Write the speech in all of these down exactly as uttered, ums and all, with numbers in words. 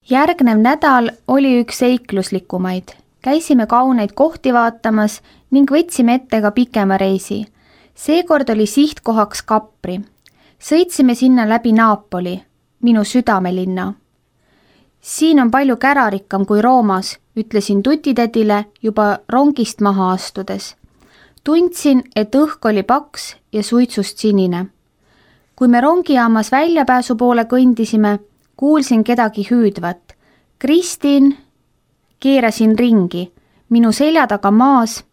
Järgnev nädal oli üks seikluslikumaid. Käisime kauneid kohti vaatamas ning võtsime ette ka pikema reisi. Seekord oli sihtkohaks Capri. Sõitsime sinna läbi Napoli, minu südamelinna. Siin on palju kärarikkam kui Roomas, ütlesin tutitädile juba rongist maha astudes. Tundsin, et õhk oli paks ja suitsust sinine. Kui me rongijaamas väljapääsu poole kõndisime, kuulsin kedagi hüüdvat. Kristin, keerasin ringi, minu selja taga maas,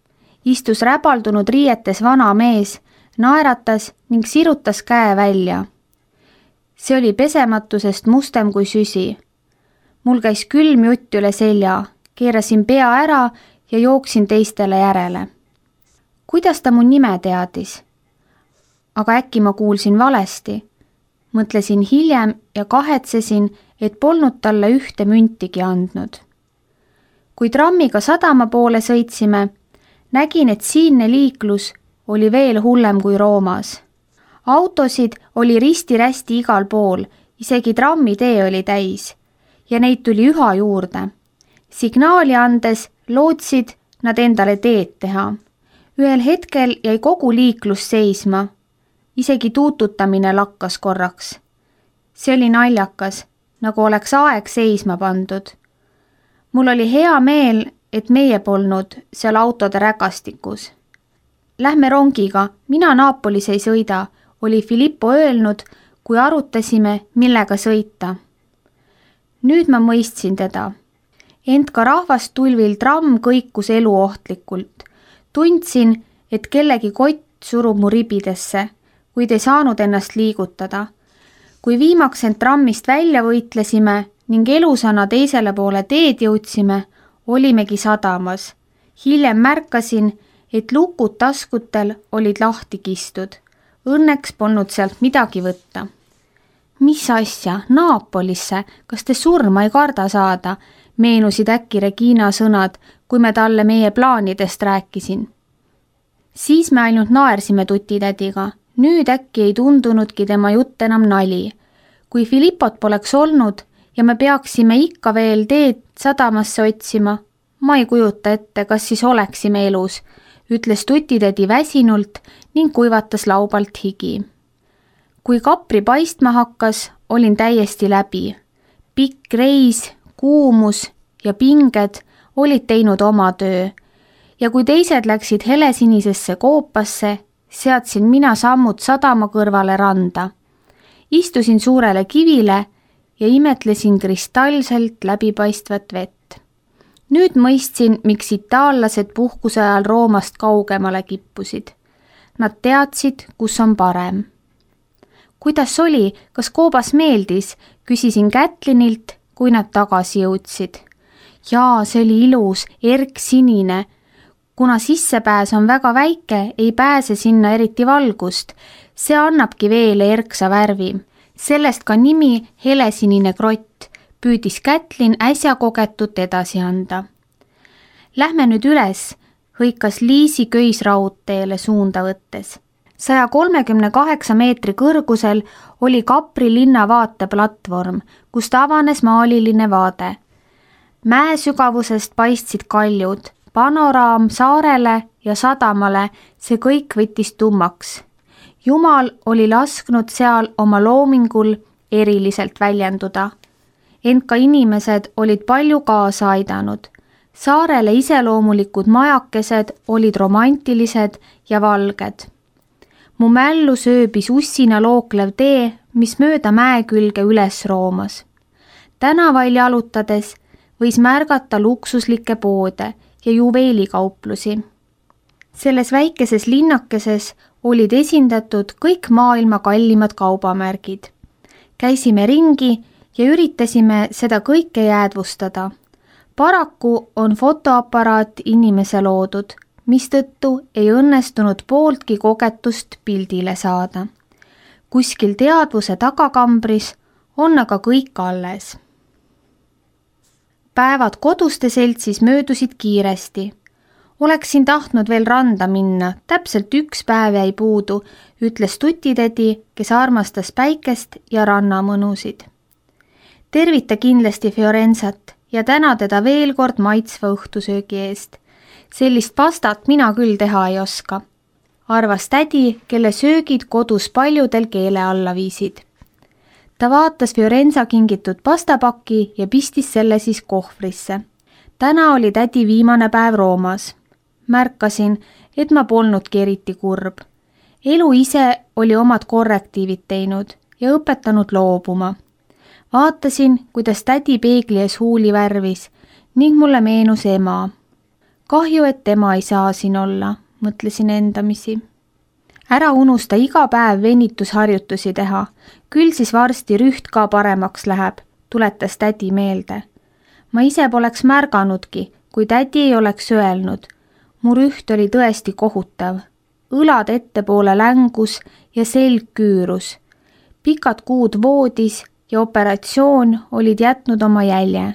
istus räbaldunud riietes vana mees, naeratas ning sirutas käe välja. See oli pesematusest mustem kui süsi. Mul käis külm jutt üle selja, keerasin pea ära ja jooksin teistele järele. Kuidas ta mu nime teadis? Aga äkki ma kuulsin valesti. Mõtlesin hiljem ja kahetsesin, et polnud talle ühte müntigi andnud. Kui trammiga sadama poole sõitsime, nägin, et siinne liiklus oli veel hullem kui Roomas. Autosid oli risti-rästi igal pool, isegi trammitee oli täis ja neid tuli üha juurde. Signaali andes lootsid nad endale teed teha. Ühel hetkel jäi kogu liiklus seisma. Isegi tuututamine lakkas korraks. See oli naljakas, nagu oleks aeg seisma pandud. Mul oli hea meel, et meie polnud seal autode rägastikus. Lähme rongiga, mina Naapolis ei sõida, oli Filippo öelnud, kui arutasime, millega sõita. Nüüd ma mõistsin teda. Ent ka rahvastulvil tramm kõikus eluohtlikult. Tundsin, et kellegi kott surub mu ribidesse, kuid ei saanud ennast liigutada. Kui viimaks end trammist välja võitlesime ning elusana teisele poole teed jõudsime, olimegi sadamas. Hiljem märkasin, et lukud taskutel olid lahti kistud. Õnneks polnud sealt midagi võtta. Mis asja, Naapolisse, kas te surma ei karda saada? Meenusid äkki Regina sõnad, kui me talle meie plaanidest rääkisin. Siis me ainult naersime tutitädiga. Nüüd äkki ei tundunudki tema jutt enam nali. Kui Filippot poleks olnud ja me peaksime ikka veel teed sadamasse otsima, ma ei kujuta ette, kas siis oleksime elus, ütles tutitädi väsinult ning kuivatas laubalt higi. Kui Capri paistma hakkas, olin täiesti läbi. Pikk reis, kuumus ja pinged olid teinud oma töö ja kui teised läksid helesinisesse koopasse, seadsin mina sammud sadama kõrvale randa. Istusin suurele kivile ja imetlesin kristalselt läbipaistvat vett. Nüüd mõistsin, miks itaallased puhkuse ajal Roomast kaugemale kippusid. Nad teadsid, kus on parem. Kuidas oli, kas koobas meeldis, küsisin Kätlinilt, kui nad tagasi jõudsid. Jaa, see oli ilus, erksinine. Kuna sissepääs on väga väike, ei pääse sinna eriti valgust. See annabki veele erksa värvi. Sellest ka nimi helesinine krott, püüdis Kätlin äsja kogetut edasi anda. Lähme nüüd üles, hõikas Liisi köisraudteele suunda võttes. saja kolmekümne kaheksa meetri kõrgusel oli Capri linna vaateplatvorm, kust avanes maaliline vaade. Mäe sügavusest paistsid kaljud, panoraam saarele ja sadamale, see kõik võttis tummaks. Jumal oli lasknud seal oma loomingul eriliselt väljenduda. Ent ka inimesed olid palju kaasa aidanud. Saarele iseloomulikud majakesed olid romantilised ja valged. Mu mällu sööbis ussina looklev tee, mis mööda mäe külge üles roomas. Tänavail jalutades võis märgata luksuslikke poode ja juveelikauplusi. Selles väikeses linnakeses olid esindatud kõik maailma kallimad kaubamärgid. Käisime ringi ja üritasime seda kõike jäädvustada. Paraku on fotoaparaat inimese loodud, mistõttu ei õnnestunud pooltki kogetust pildile saada. Kuskil teadvuse tagakambris on aga kõik alles. Päevad koduste seltsis möödusid kiiresti. Oleksin tahtnud veel randa minna, täpselt üks päev jäi puudu, ütles tutitädi, kes armastas päikest ja rannamõnusid. tervita kindlasti Fiorenzat ja täna teda veel kord maitsva õhtusöögi eest. Sellist pastat mina küll teha ei oska, arvas tädi, kelle söögid kodus paljudel keele alla viisid. Ta vaatas Fiorenza kingitud pastapaki ja pistis selle siis kohvrisse. Täna oli tädi viimane päev Roomas. Märkasin, et ma polnudki eriti kurb. Elu ise oli omad korrektiivid teinud ja õpetanud loobuma. Vaatasin, kuidas tädi peegli ees huuli värvis ning mulle meenus ema. Kahju, et tema ei saa siin olla, mõtlesin endamisi. Ära unusta iga päev venitusharjutusi teha, küll siis varsti rüht ka paremaks läheb, tuletas tädi meelde. Ma ise poleks märganudki, kui tädi ei oleks öelnud. Mu rüht oli tõesti kohutav. Õlad ettepoole längus ja selg küürus. Pikad kuud voodis ja operatsioon olid jätnud oma jälje.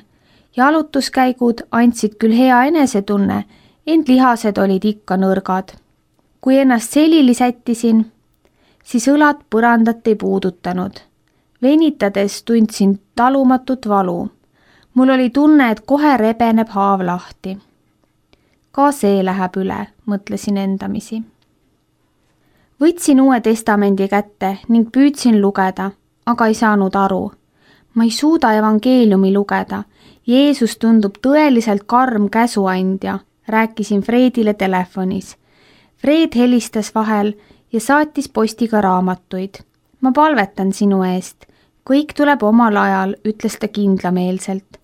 Jalutuskäigud andsid küll hea enesetunne, ent lihased olid ikka nõrgad. Kui ennast selili sättisin, siis õlad põrandat ei puudutanud. Venitades tundsin talumatut valu. Mul oli tunne, et kohe rebeneb haav lahti. Ka see läheb üle, mõtlesin endamisi. Võtsin uue testamendi kätte ning püüdsin lugeda, aga ei saanud aru. Ma ei suuda evangeeliumi lugeda. Jeesus tundub tõeliselt karm käsuandja, rääkisin Fredile telefonis. Fred helistas vahel ja saatis postiga raamatuid. Ma palvetan sinu eest. Kõik tuleb omal ajal, ütles ta kindlameelselt.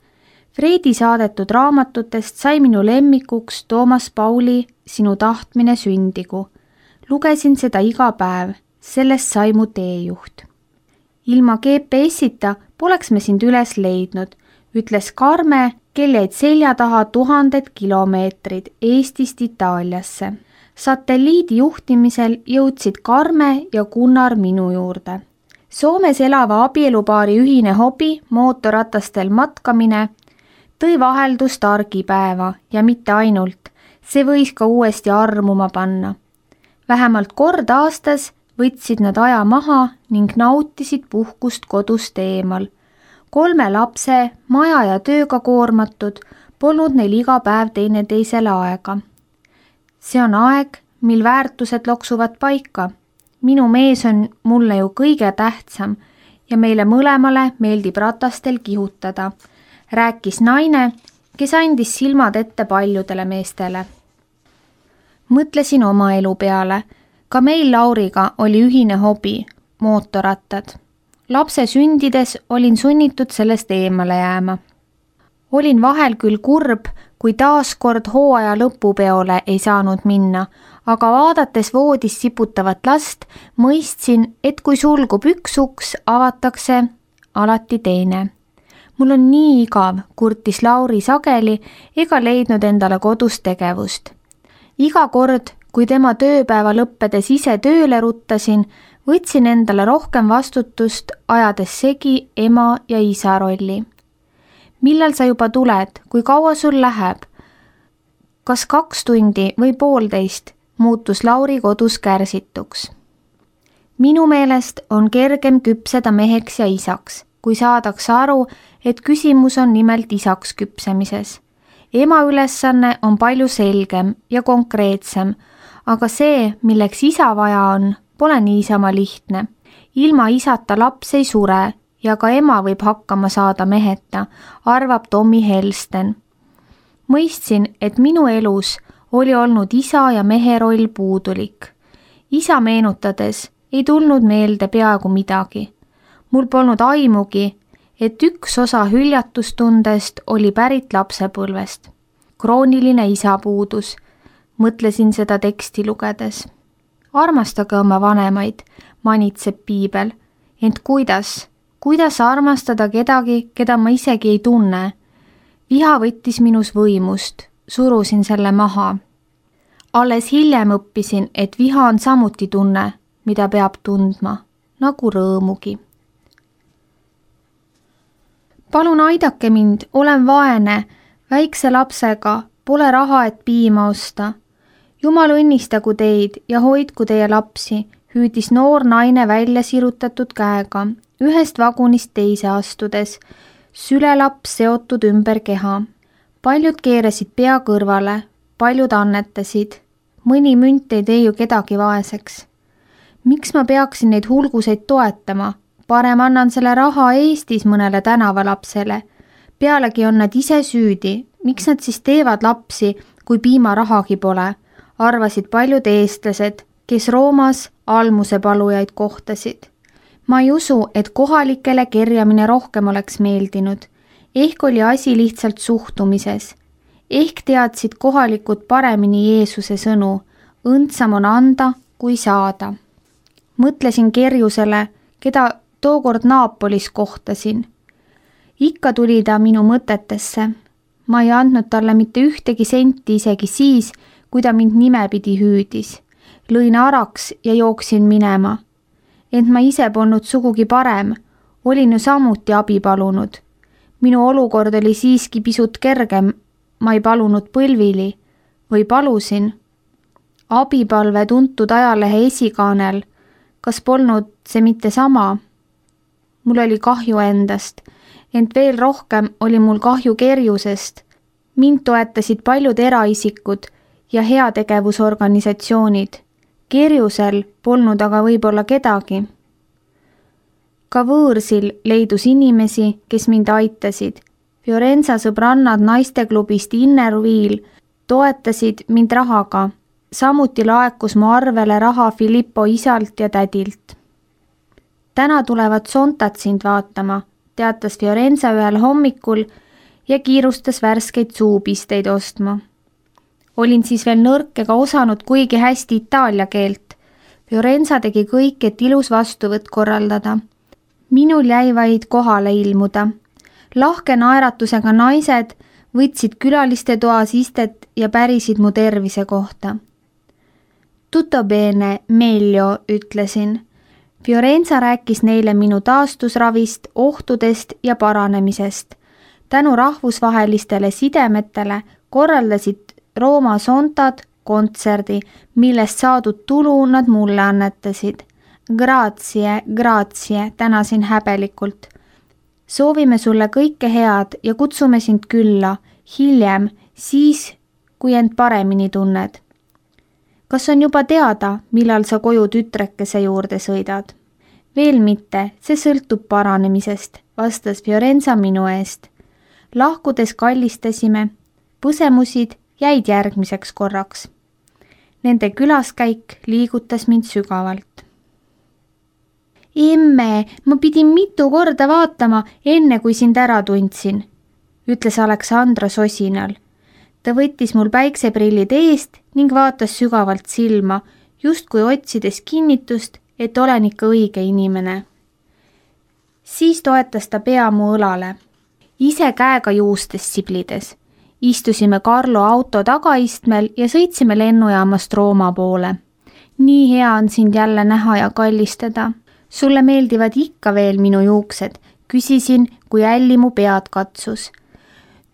Fredi saadetud raamatutest sai minu lemmikuks Toomas Pauli Sinu tahtmine sündigu. Lugesin seda iga päev, sellest sai mu teejuht. Ilma G P S-ita poleks me sind üles leidnud, ütles Karme, kel jäid selja taha tuhanded kilomeetrid Eestist Itaaliasse. Satelliidi juhtimisel jõudsid Karme ja Gunnar minu juurde. Soomes elava abielupaari ühine hobi, mootorratastel matkamine, tõi vaheldust argipäeva ja mitte ainult, see võis ka uuesti armuma panna. Vähemalt kord aastas võtsid nad aja maha ning nautisid puhkust kodust eemal. Kolme lapse, maja ja tööga koormatud, polnud neil iga päev teineteisele aega. See on aeg, mil väärtused loksuvad paika. Minu mees on mulle ju kõige tähtsam ja meile mõlemale meeldib ratastel kihutada, rääkis naine, kes andis silmad ette paljudele meestele. Mõtlesin oma elu peale. Ka meil Lauriga oli ühine hobi, mootorrattad. Lapse sündides olin sunnitud sellest eemale jääma. Olin vahel küll kurb, kui taaskord hooaja lõpupeole ei saanud minna, aga vaadates voodis siputavat last, mõistsin, et kui sulgub üks uks, avatakse alati teine. Mul on nii igav, kurtis Lauri sageli ega leidnud endale kodus tegevust. Iga kord, kui tema tööpäeva lõppedes ise tööle ruttasin, võtsin endale rohkem vastutust, ajades segi ema ja isa rolli. Millal sa juba tuled, kui kaua sul läheb? Kas kaks tundi või poolteist, muutus Lauri kodus kärsituks. Minu meelest on kergem küpseda meheks ja isaks, kui saadakse aru, et küsimus on nimelt isaks küpsemises. Ema ülesanne on palju selgem ja konkreetsem, aga see, milleks isa vaja on, pole niisama lihtne. Ilma isata laps ei sure ja ka ema võib hakkama saada meheta, arvab Tommy Helsten. Mõistsin, et minu elus oli olnud isa ja mehe roll puudulik. Isa meenutades ei tulnud meelde peaaegu midagi. Mul polnud aimugi, et üks osa hüljatustundest oli pärit lapsepõlvest. Krooniline isapuudus, mõtlesin seda teksti lugedes. Armastage oma vanemaid, manitseb piibel, ent kuidas, kuidas armastada kedagi, keda ma isegi ei tunne? Viha võttis minus võimust, surusin selle maha. Alles hiljem õppisin, et viha on samuti tunne, mida peab tundma, nagu rõõmugi. Palun aidake mind, olen vaene, väikse lapsega, pole raha, et piima osta. Jumal õnnistagu teid ja hoidku teie lapsi, hüüdis noor naine välja sirutatud käega, ühest vagunist teise astudes. sülelaps seotud ümber keha. Paljud keerasid pea kõrvale, paljud annetasid. Mõni münt ei tee ju kedagi vaeseks. Miks ma peaksin neid hulguseid toetama? Parem annan selle raha Eestis mõnele tänavalapsele. Pealegi on nad ise süüdi. Miks nad siis teevad lapsi, kui piimarahagi pole? Arvasid paljud eestlased, kes Roomas almusepalujaid kohtasid. Ma ei usu, et kohalikele kerjamine rohkem oleks meeldinud. Ehk oli asi lihtsalt suhtumises. Ehk teadsid kohalikud paremini Jeesuse sõnu. Õndsam on anda, kui saada. Mõtlesin Kerjusele, keda tookord Naapolis kohtasin. Ikka tuli ta minu mõtetesse. Ma ei andnud talle mitte ühtegi senti isegi siis, kui ta mind nimepidi hüüdis. Lõin araks ja jooksin minema. Ent ma ise polnud sugugi parem. Olin ju samuti abi palunud. Minu olukord oli siiski pisut kergem. Ma ei palunud põlvili. Või palusin. Abipalve tuntud ajalehe esikaanel. Kas polnud see mitte sama? Mul oli kahju endast, ent veel rohkem oli mul kahju Kerjusest. Mind toetasid paljud eraisikud ja heategevusorganisatsioonid. Kerjusel polnud aga võib-olla kedagi. Ka võõrsil leidus inimesi, kes mind aitasid. Fiorenza sõbrannad naisteklubist Inner Wheel toetasid mind rahaga. Samuti laekus mu arvele raha Filippo isalt ja tädilt. Täna tulevad Sontat sind vaatama, teatas Fiorenza ühel hommikul ja kiirustas värskeid suupisteid ostma. Olin siis veel nõrk ega osanud kuigi hästi itaalia keelt. Fiorenza tegi kõik, et ilus vastuvõtt korraldada. Minul jäi vaid kohale ilmuda. Lahke naeratusega naised võtsid külaliste toas istet ja pärisid mu tervise kohta. Tutto bene, meglio, ütlesin. Fiorenza rääkis neile minu taastusravist, ohtudest ja paranemisest. Tänu rahvusvahelistele sidemetele korraldasid Rooma Sontad kontserdi, millest saadud tulu nad mulle annetasid. Grazie, grazie, tänasin häbelikult. Soovime sulle kõike head ja kutsume sind külla, hiljem, siis, kui end paremini tunned. Kas on juba teada, millal sa koju tütrekese juurde sõidad? Veel mitte, see sõltub paranemisest, vastas Fiorenza minu eest. Lahkudes kallistasime, põsemusid jäid järgmiseks korraks. Nende külaskäik liigutas mind sügavalt. Emme, ma pidin mitu korda vaatama, enne kui sind ära tundsin, ütles Aleksandra sosinal. Ta võttis mul päikseprillid eest ning vaatas sügavalt silma, justkui otsides kinnitust, et olen ikka õige inimene. Siis toetas ta pea mu õlale. Ise käega juustes siblides. Istusime Carlo auto tagaistmel ja sõitsime lennujaamast Rooma poole. Nii hea on sind jälle näha ja kallistada. Sulle meeldivad ikka veel minu juuksed, küsisin, kui älli mu pead katsus.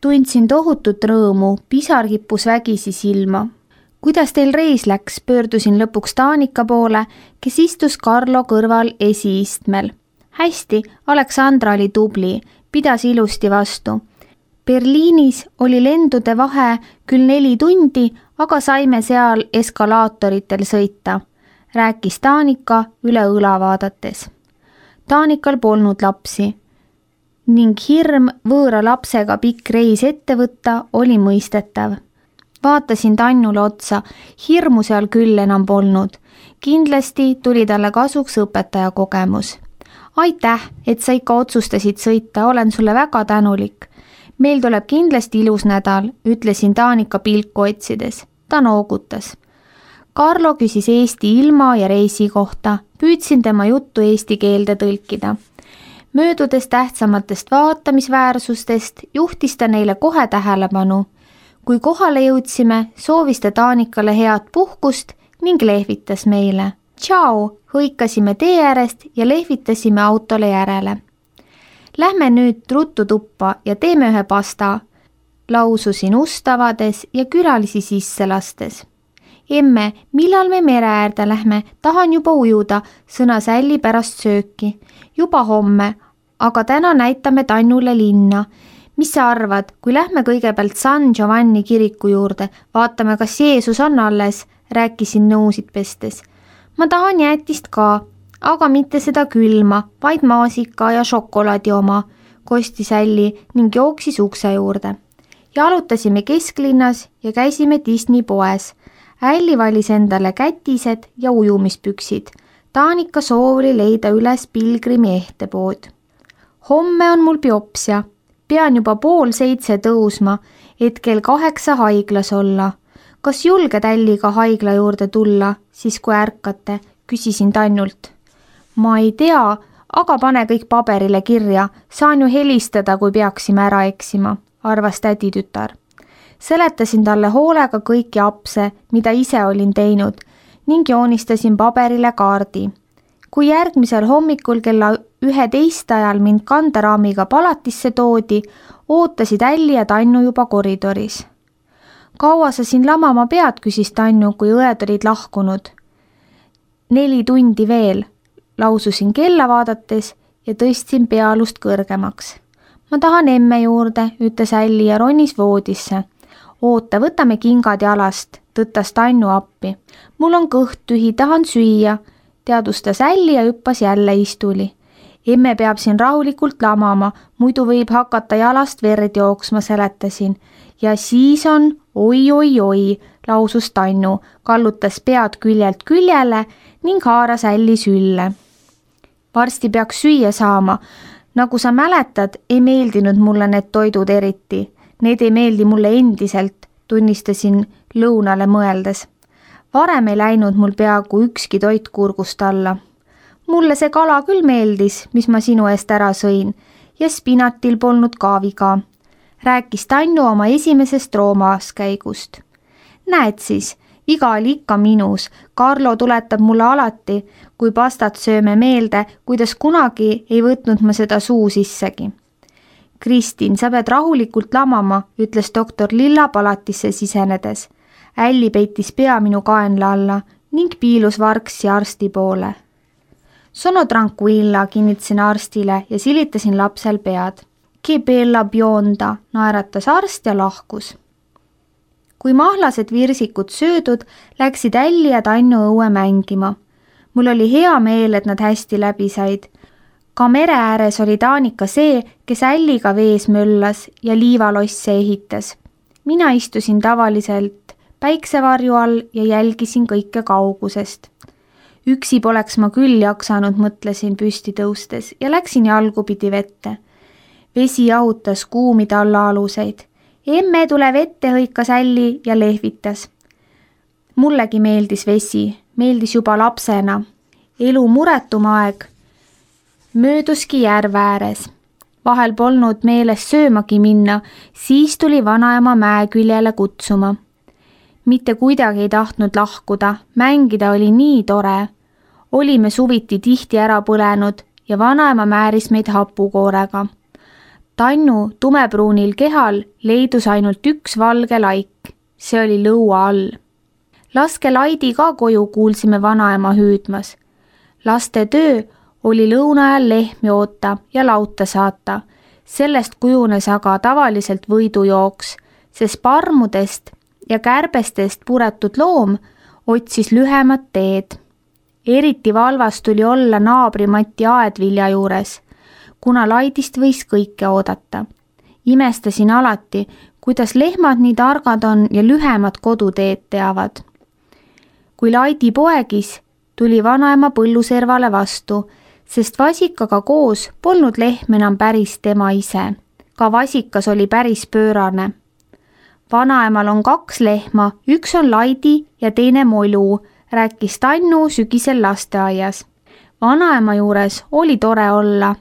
Tundsin tohutut rõõmu, pisar kippus vägisi silma. Kuidas teil reis läks, pöördusin lõpuks Taanika poole, kes istus Carlo kõrval esiistmel. Hästi, Aleksandra oli tubli, pidas ilusti vastu. Berliinis oli lendude vahe küll neli tundi, aga saime seal eskalaatoritel sõita, rääkis Taanika üle õla vaadates. Taanikal polnud lapsi ning hirm võõra lapsega pikk reis ette võtta oli mõistetav. Vaatasin Tannule otsa, hirmu seal küll enam polnud. Kindlasti tuli talle kasuks õpetaja kogemus. Aitäh, et sa ikka otsustasid sõita, olen sulle väga tänulik. Meil tuleb kindlasti ilus nädal, ütlesin Taanika pilku otsides. Ta noogutas. Carlo küsis Eesti ilma ja reisi kohta. Püüdsin tema juttu eesti keelde tõlkida. Möödudes tähtsamatest vaatamisväärsustest juhtis ta neile kohe tähelepanu. Kui kohale jõudsime, soovis ta Taanikale head puhkust ning lehvitas meile. Tšau, hõikasime tee äärest ja lehvitasime autole järele. Lähme nüüd ruttu tuppa ja teeme ühe pasta, laususin ust avades ja külalisi sisse lastes. Emme, millal me mere äärde lähme, tahan juba ujuda, sõnas Älli pärast sööki. Juba homme, aga täna näitame Tannule linna. Mis sa arvad, kui lähme kõigepealt San Giovanni kiriku juurde, vaatame, kas Jeesus on alles, rääkisin nõusid pestes. Ma tahan jäätist ka, aga mitte seda külma, vaid maasika ja šokolaadi oma, kostis Älli ning jooksis ukse juurde. Jalutasime kesklinnas ja käisime Disney poes. Älli valis endale kätised ja ujumispüksid. Taanika soov oli leida üles pilgrimi ehtepood. Homme on mul biopsia. Pean juba pool seitse tõusma, et kell kaheksa haiglas olla. Kas julged Älliga haigla juurde tulla, siis kui ärkate, küsisin Tannult. Ma ei tea, aga pane kõik paberile kirja, saan ju helistada, kui peaksime ära eksima, arvas täditütar. Seletasin talle hoolega kõiki apse, mida ise olin teinud, ning joonistasin paberile kaardi. Kui järgmisel hommikul kella üheteist ajal mind kanderaamiga palatisse toodi, ootasid Älli ja Tannu juba koridoris. Kaua sa siin lamama pead, küsis Tannu, kui õed olid lahkunud. Neli tundi veel, laususin kella vaadates ja tõstsin pealust kõrgemaks. Ma tahan emme juurde, ütles Älli ja ronis voodisse. Oota, võtame kingad jalast, tõttas Tannu appi. Mul on kõht tühi, tahan süüa, teadustas Älli ja hüppas jälle istuli. Emme peab siin rahulikult lamama, muidu võib hakata jalast verd jooksma, seletasin. Ja siis on oi-oi-oi, lausus Tannu, kallutas pead küljelt küljele ning haaras Älli sülle. Varsti peaks süüa saama. Nagu sa mäletad, ei meeldinud mulle need toidud eriti. Need ei meeldi mulle endiselt, tunnistasin lõunale mõeldes. Varem ei läinud mul peaaegu ükski toit kurgust alla. Mulle see kala küll meeldis, mis ma sinu eest ära sõin, ja spinatil polnud ka viga. Rääkis Tannu oma esimesest Roomaaskäigust. Näed siis, viga oli ikka minus. Carlo tuletab mulle alati, kui pastat sööme meelde, kuidas kunagi ei võtnud ma seda suu sissegi. Kristin, sa pead rahulikult lamama, ütles doktor Lilla palatisse sisenedes. Älli peitis pea minu kaenla alla ning piilus vargsi arsti poole. Sono tranquilla, kinnitasin arstile ja silitasin lapsel pead. Che bella bionda, naeratas arst ja lahkus. Kui mahlased virsikud söödud, läksid Älli ja Tannu õue mängima. Mul oli hea meel, et nad hästi läbi said. Ka mere ääres oli Taanika see, kes Älliga vees möllas ja liivalosse ehitas. Mina istusin tavaliselt päiksevarju all ja jälgisin kõike kaugusest. Üksi poleks ma küll jaksanud, mõtlesin püsti tõustes ja läksin jalgupidi vette. Vesi jahutas kuumide alla aluseid. Emme tule vette, hõikas Älli ja lehvitas. Mullegi meeldis vesi, meeldis juba lapsena. Elu muretum aeg. Mööduski järve ääres. Vahel polnud meeles söömagi minna, siis tuli vanaema mäe küljele kutsuma. Mitte kuidagi ei tahtnud lahkuda, mängida oli nii tore. Olime suviti tihti ära põlenud ja vanaema määris meid hapukoorega. Tannu tumepruunil kehal leidus ainult üks valge laik. See oli lõua all. Laske Laidi ka koju, kuulsime vanaema hüüdmas. Laste töö oli lõuna ajal lehmi oota ja lauta saata. Sellest kujunes aga tavaliselt võidujooks, sest parmudest ja kärbestest puretud loom otsis lühemat teed. Eriti valvas tuli olla naabri Mati aedvilja juures, kuna Laidist võis kõike oodata. Imestasin alati, kuidas lehmad nii targad on ja lühemad koduteed teavad. Kui Laidi poegis, tuli vanaema põlluservale vastu, sest vasikaga koos polnud lehm enam päris tema ise. Ka vasikas oli päris pöörane. Vanaemal on kaks lehma, üks on Laidi ja teine Molu, rääkis Tannu sügisel lasteaias. Vanaema juures oli tore olla.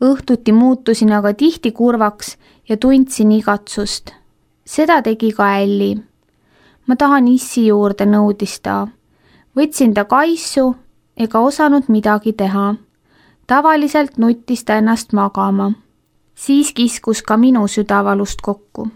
Õhtuti muutusin aga tihti kurvaks ja tundsin igatsust. Seda tegi ka Älli. Ma tahan issi juurde, nõudis ta. Võtsin ta kaisu ega osanud midagi teha. Tavaliselt nuttis ta ennast magama. Siis kiskus ka minu südavalust kokku.